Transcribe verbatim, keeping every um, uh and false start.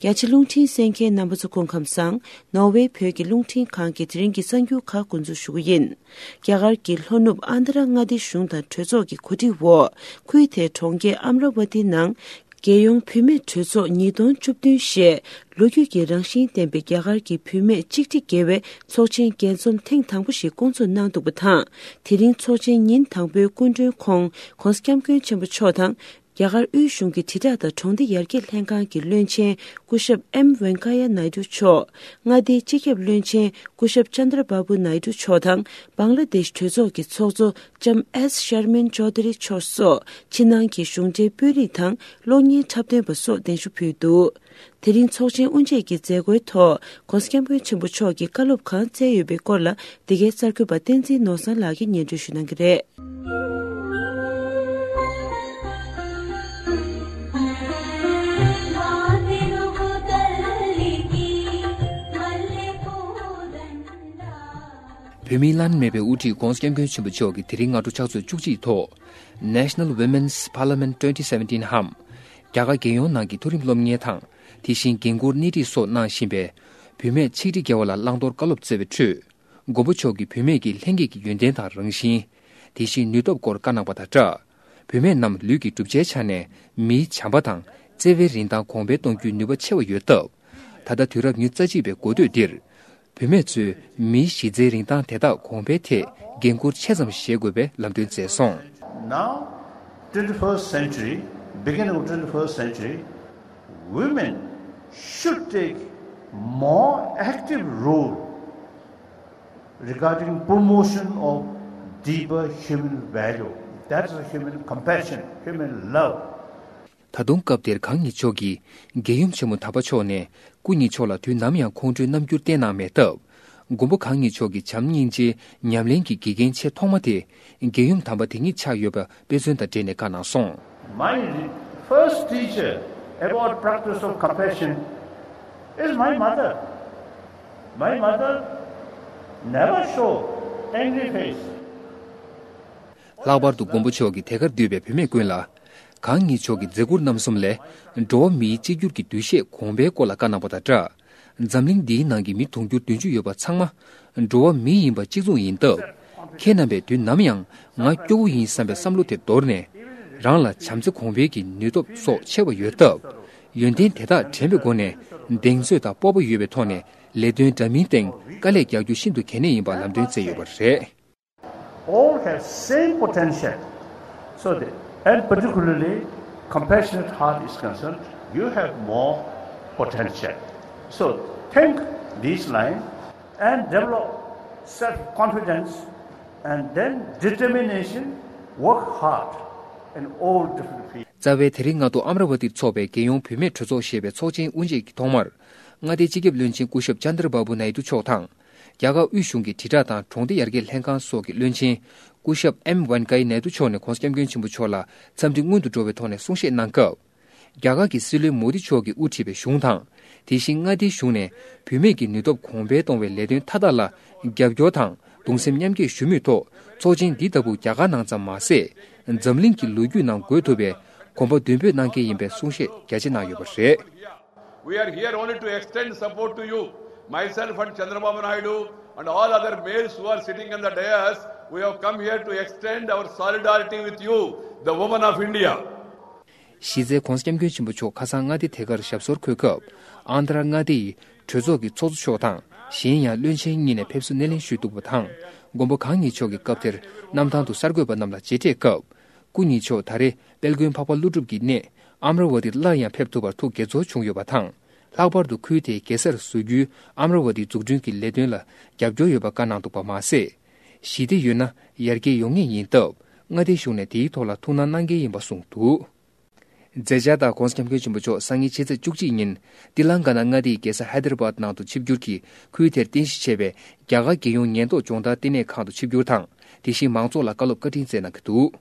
རྒྱ་ཆེ་རླུང་འཕྲིན་གསན་མཁན་རྣམ་པ་ཚོ་སྐུ་ཁམས་བཟང་། ནོར་ཝེ་བོད་ཀྱི་རླུང་འཕྲིན་ཁང་གི་དེ་རིང་གི་གསར་འགྱུར་ཁག་འགོ་འཛུགས་ཞུ་གི་ཡིན། རྒྱ་གར་གྱི་ལྷོ་ནུབ་ཨན་དྷ་ར་མངའ་སྡེ་གཞུང་དང་གྲོས་ཚོགས་ཀྱི་གོ་སྒྲིག་འོག་ཁུལ་དེའི་གྲོང་ཁྱེར་ཨམ་ར་ཝ་ཏི་ནང་རྒྱལ་ཡོངས་བུད་མེད་གྲོས་ཚོགས་ཉིས་སྟོང་བཅུ་བདུན་ཞེས་ལོ་རྒྱུས་ཀྱི་རང་བཞིན་ལྡན་པའི་རྒྱ་གར་གྱི་བུད་མེད་གཅིག་ཁྲི་བརྒལ་བའི་ཚོགས་ཆེན་རྒྱས་འཛོམས་ཐེངས་དང་པོ་ཞིག་བསྐོང་ཚོགས་གནང་འདུག་པ་དང་། དེ་རིང་ཚོགས་ཆེན་ཉིན་དང་པོའི་སྐུ་མགྲོན་ཁོང་༸གོང་ས་༸སྐྱབས་མགོན་ཆེན་པོ་མཆོག་དང་། རྒྱ་གར་དབུས་གཞུང་གི་དྲིལ་བསྒྲགས་དང་གྲོང་སྡེ་ཡར་རྒྱས་ལྷན་ཁང་གི་བློན་ཆེན་སྐུ་ཞབས་ཨེམ་ཝེང་ཀ་ཡ་ནའི་ཏུ་མཆོག་མངའ་སྡེའི་སྤྱི་ཁྱབ་བློན་ཆེན་སྐུ་ཞབས་ཅན་དྲ་བྷ་བུ་ནའི་ཏུ་མཆོག་དང་། བང་ལ་དེཤ་གྲོས་ཚོགས་ཀྱི་ཚོགས་གཙོ་ལྕམ་ཨེས་ཤར་མིན་ཅོ་དྷ་རི་མཆོག་སོགས་ཕྱི་ནང་གི་གཞུང་འབྲེལ་དཔོན་རིགས་དང་གློག་བརྙན་འཁྲབ་སྟོན་པ་སོགས་གདན་ཞུ་ཕུལ་འདུག་དེ་རིང་ཚོགས་ཆེན་དབུ་འབྱེད་ཀྱི་མཛད་སྒོའི་ཐོག་༸གོང་ས་༸སྐྱབས་མགོན་ཆེན་པོ་མཆོག་གིས་བཀའ་སློབ་གང་སྩལ་ཡོད་པའི་སྐོར་ལ། འདི་གའི་གསར་འགོད་པ་བསྟན་འཛིན་ནོར་བཟང་ལགས་ཀྱིས་སྙན་སྒྲོན་ཞུ་གནང་གི་རེད། བོད་མིའི་བླ་ན་མེད་པའི་དབུ་ཁྲིད་༸གོང་ས་༸སྐྱབས་མགོན་ཆེན་པོ་མཆོག་གིས་དེ་རིང་སྔ་དྲོ་ཕྱག་ཚོད་བཅུ་གཅིག་ཐོག་National Women's Parliament twenty seventeen འམ། རྒྱ་གར་རྒྱལ་ཡོངས་ནང་གི་མཐོ་རིམ་སློབ་གཉེར་དང་། དེ་བཞིན་འགན་འཁུར་སྣེ་ཁྲིད་སོགས་གནང་བཞིན་པའི་བུད་མེད་ཆིག་ཁྲི་བརྒལ་བ་ལ་བླང་དོར་བཀའ་སློབ་སྩལ་བའི་ཁྲོད། མགོན་པོ་མཆོག་གིས་བུད་མེད་ཀྱི་ལྷན་སྐྱེས་ཀྱི་ཡོན་ཏན་དང་རང་བཞིན། དེ་བཞིན་ནུས་སྟོབས་སྐོར་བཀའ་གནང་པ་དང་སྦྲགས། བུད་མེད་རྣམས་ལུས་ཀྱི་གྲུབ་ཆའི་ཆ་ནས་མིའི་བྱམས་པ་དང་བརྩེ་བའི་རིན་ཐང་གོང་འཕེལ་གཏོང་རྒྱུའི་ནུས་པ་ཆེ་བ་ཡོད་སྟབས། ད་ལྟ་དུས་རབས་ཉེར་གཅིག་པའི་འགོ་སྟོད་འདིར། བུད་མེད་ཚོས་མིའི་གཞི་རྩའི་རིན་ཐང་དེ་དག་གོང་འཕེལ་ཐད་འགན་འཁུར་ཆེ་ཙམ་བཞེས་དགོས་པའི་ལམ་སྟོན་མཛད་སོང་། Now, twenty-first century, beginning of twenty-first century, women should take more active role regarding promotion of deeper human value. That's a human compassion, human love. ད་དུང་སྐབས་དེར་གང་ཉིད་མཆོག་གིས་རྒྱལ་ཡུམ་ཆེན་མོ་དམ་པ་མཆོག་ནས་སྐུ་ཉིད་མཆོག་ལ་དུས་ནམ་ཡང་ཁོང་ཁྲོའི་རྣམ་འགྱུར་བསྟན་གནང་མེད་སྟབས། མགོན་པོ་གང་ཉིད་མཆོག་གི་བྱམས་སྙིང་རྗེའི་ཉམས་ལེན་གྱི་དགེ་རྒན་ཆེས་ཐོག་མ་དེ་རྒྱལ་ཡུམ་དམ་པ་དེ་ཉིད་ཆགས་ཡོད་པ་དཔེ་མཚོན་དང་འབྲེལ་ནས་བཀའ་གནང་སོང་། My first teacher about practice of compassion is my mother. My mother never show angry face. ལྷག་པར་དུ་མགོན་པོ་མཆོག་གིས་དེ་གར་འདུས་པའི་བུད་མེད་ཀུན་ལ། གང་ཉིད་མཆོག་གི་མཛད་ཁུར་རྣམ་གསུམ་ལས། འགྲོ་བ་མིའི་གཅིག་གྱུར་གྱི་འདུ་ཤེས་གོང་འཕེལ་སྐོར་ལ་བཀའ་གནང་པ་དང་སྦྲགས། འཛམ་གླིང་འདིའི་ནང་གི་མི་དུང་ཕྱུར་བདུན་ཅུ་ཡོད་པ་ཚང་མ། འགྲོ་བ་མི་ཡིན་པ་གཅིག་མཚུངས་ཡིན་སྟབས། ཁྱེད་རྣམ་པས་དུས་ནམ་ཡང་ང་སྐྱོ་བོ་ཡིན་བསམ་པའི་བསམ་བློ་དེ་དོར་ནས། རང་ལ་བྱམས་བརྩེ་གོང་འཕེལ་གྱི་ནུས་སྟོབས་སོགས་ཆེ་བ་ཡོད་སྟབས། ཡོན་ཏན་དེ་དག་དྲན་པའི་སྒོ་ནས། གདེང་ཚོད་དང་སྤོབས་པ་ཡོད་པའི་ཐོག་ནས་ལས་དོན་འདྲ་མིན་སྟེང་དཀའ་ལས་རྒྱག་རྒྱུ་ཤིན་ཏུ་གལ་གནད་ཡིན་པ་ལམ་སྟོན་མཛད་ཡོད་པ་རེད། All have same potential. So, the, and particularly, compassionate heart is concerned, you have more potential. So, think this line and develop self-confidence and then determination, work hard in all different fields. རྩ་བའི་དེ་རིང་སྔ་དྲོ་ཨམ་ར་ཝ་ཏིར་འཚོགས་པའི་རྒྱལ་ཡོངས་བུད་མེད་གྲོས་ཚོགས་ཞེས་པའི་ཚོགས་ཆེན་དབུ་འབྱེད་ཀྱི་ཐོག་མར། མངའ་སྡེའི་སྤྱི་ཁྱབ་བློན་ཆེན་སྐུ་ཞབས་ཅན་དྲ་བྷ་བུ་ནའི་ཏུ་མཆོག་དང་། རྒྱ་གར་དབུས་གཞུང་གི་དྲིལ་བསྒྲགས་དང་གྲོང་སྡེ་ཡར་རྒྱས་ལྷན་ཁང་སོགས་ཀྱི་བློན་ཆེན་སྐུ་ཞབས་ཨེམ་ཝེན་ཀ་ཡ་ནའི་ཏུ་མཆོག་ནས་༸གོང་ས་༸སྐྱབས་མགོན་ཆེན་པོ་མཆོག་ལ་འཚམས་འདྲི་སྔོན་དུ་འགྲོ་བའི་ཐོག་ནས་གསུང་བཤད་གནང་སྐབས། རྒྱ་གར་གྱི་སྲིད་བློན་མོ་དི་མཆོག་གིས་དབུ་ཁྲིད་པའི་གཞུང་དང་། དེ་བཞིན་མངའ་སྡེའི་གཞུང་ནས་བུད་མེད་ཀྱི་ནུས་སྟོབས་གོང་འཕེལ་གཏོང་བའི་ལས་དོན་མཐའ་དག་ལ་རྒྱབ་སྐྱོར་དང་གདུང་སེམས་མཉམ་སྐྱེད་ཞུ་མུས་ཐོག་ཚོགས་ཆེན་འདི་ལྟ་བུ་རྒྱ་གར་ནང་ཙམ་མ་ཟད། འཛམ་གླིང་གི་ལོ་རྒྱུས་ནང་འགོད་ཐུབ་པའི་གོམ་པ་མདུན་སྤོས་གནང་གལ་ཡིན་པའི་གསུང་བཤད་རྒྱ་ཆེ་གནང་ཡོད་པ་རེད། We are here only to extend support to you. Myself and Chandrababu Naidu and all other males who are sitting on the dais, we have come here to extend our solidarity with you, the women of India. གཞི་རྩའི་༸གོང་ས་༸སྐྱབས་མགོན་ཆེན་པོ་མཆོག་ཁ་སང་མངའ་སྡེ་དེ་གར་ཞབས་སོར་འཁོད་སྐབས། ཨན་དྷ་ར་མངའ་སྡེ་ཡི་གྲོས་ཚོགས་ཀྱི་ཚོགས་གཙོ་མཆོག་དང་། གཞན་ཡང་བློན་ཆེན་གཉིས་ནས་ཕེབས་བསུ་སྣེ་ལེན་ཞུས་འདུག་པ་དང་། མགོན་པོ་གང་ཉིད་མཆོག་གིས་སྐབས་དེར་གནམ་ཐང་དུ་གསར་འགོད་པ་རྣམས་ལ་མཇལ་འཕྲད་སྐབས། སྐུ་ཉིད་མཆོག་ད་རེས་དཔལ་མགོན་འཕགས་པ་ཀླུ་སྒྲུབ་ཀྱི་གནས་ཨམ་ར་ཝ་ཏིར་སླར་ཡང་ཕེབས་ཐུབ་པར་ཐུགས་དགྱེས་ཚོར་བྱུང་ཡོད་པ་དང་། ལྷག་པར་དུ་ཁུལ་དེའི་རྒྱལ་སར་བཟོ་རྒྱུའི་ཨམ་ར་ཝ་ཏི་འཛུགས་སྐྲུན་གྱི་ལས་དོན་ལ་རྒྱབ་སྐྱོར་ཡོད་པ་བཀའ་གནང་འདུག་པ་མ་ཟད། ཞི་བདེ་ཡོད་ན་ཡར་རྒྱས་ཡོང་ངེས་ཡིན་སྟབས། མངའ་སྡེའི་གཞུང་ནས་དེའི་ཐོག་ལ་ཐུགས་སྣང་གནང་གལ་ཡིན་པ་གསུངས་འདུག་མཛད་འཆར་ལྟར་༸གོང་ས་༸སྐྱབས་མགོན་ཆེན་པོ་མཆོག་སང་ཉིན་ཕྱི་ཚེས་བཅུ་གཅིག་ཉིན་ཏི་ལང་ཀ་ན་མངའ་སྡེའི་རྒྱལ་ས་ཧའི་དར་བཱད་ནང་དུ་ཆིབས་བསྒྱུར་གྱིས་ཁུལ་དེར་རྟེན་གཞི་བྱས་པའི་རྒྱ་གར་རྒྱལ་ཡོངས་ཉེན་རྟོག་སྦྱོང་བརྡར་ལྟེ་གནས་ཁང་དུ་ཆིབས་བསྒྱུར་དང་། དེ་བཞིན་མང་ཚོགས་ལ་བཀའ་སློབ་བཀའ་དྲིན་སྩལ་གནང་གི་འདུག